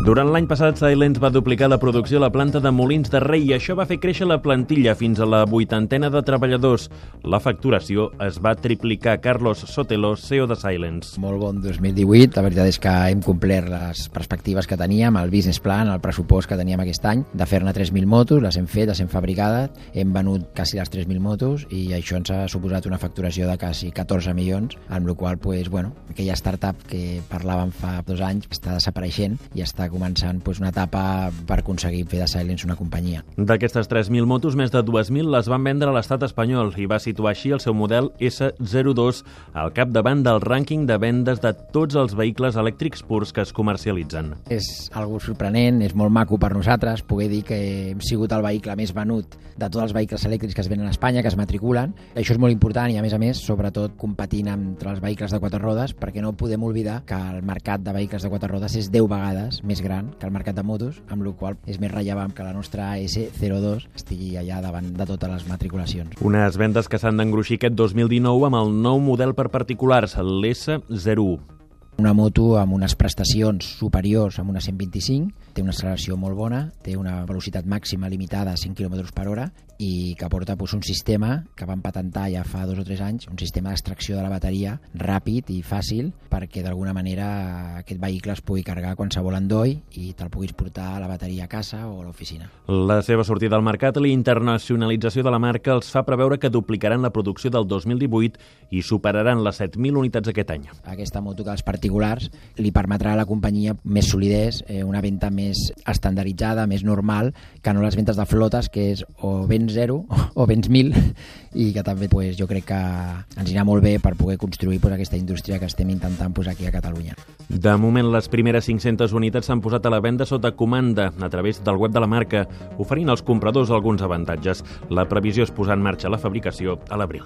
Durant l'any passat, Silence va duplicar la producció a la planta de Molins de Rei i això va fer créixer la plantilla fins a la 80ena de treballadors. La facturació es va triplicar. Carlos Sotelo, CEO de Silence. Molt bon 2018. La veritat és que hem complert les perspectives que teníem, el business plan, el pressupost que teníem aquest any, de fer-ne 3.000 motos, les hem fet, les hem fabricades, hem venut quasi les 3.000 motos i això ens ha suposat una facturació de quasi 14 milions, amb la qual cosa, aquella startup que parlàvem fa 2 anys està desapareixent i està començant una etapa per aconseguir fer de Silence una companyia. D'aquestes 3.000 motos, més de 2.000 les van vendre a l'estat espanyol i va situar així el seu model S02 al capdavant del rànquing de vendes de tots els vehicles elèctrics purs que es comercialitzen. És algo sorprenent, és molt maco per nosaltres poder dir que hem sigut el vehicle més venut de tots els vehicles elèctrics que es venen a Espanya, que es matriculen. Això és molt important i, a més, sobretot competint entre els vehicles de 4 rodes, perquè no podem oblidar que el mercat de vehicles de 4 rodes és 10 vegades més gran que el mercat de motos, amb la qual és més rellevant que la nostra S02 estigui allà davant de totes les matriculacions. Unes vendes que s'han d'engruixir aquest 2019 amb el nou model per particulars, l'S01. Una moto amb unes prestacions superiors amb una 125, té una acceleració molt bona, té una velocitat màxima limitada a 5 km per hora i que porta un sistema que vam patentar ja fa 2 o 3 anys, un sistema d'extracció de la bateria ràpid i fàcil perquè d'alguna manera aquest vehicle es pugui carregar a qualsevol endoll i te'l puguis portar a la bateria a casa o a l'oficina. La seva sortida al mercat i la internacionalització de la marca els fa preveure que duplicaran la producció del 2018 i superaran les 7.000 unitats aquest any. Aquesta moto que els particulars li permetrà a la companyia més solidesa, una venda més estandarditzada, més normal, que no les ventes de flotes, que és o vens 0 o vens 1.000, i que també jo crec que ens anirà molt bé per poder construir aquesta indústria que estem intentant posar aquí a Catalunya. De moment, les primeres 500 unitats s'han posat a la venda sota comanda a través del web de la marca, oferint als compradors alguns avantatges. La previsió és posar en marxa la fabricació a l'abril.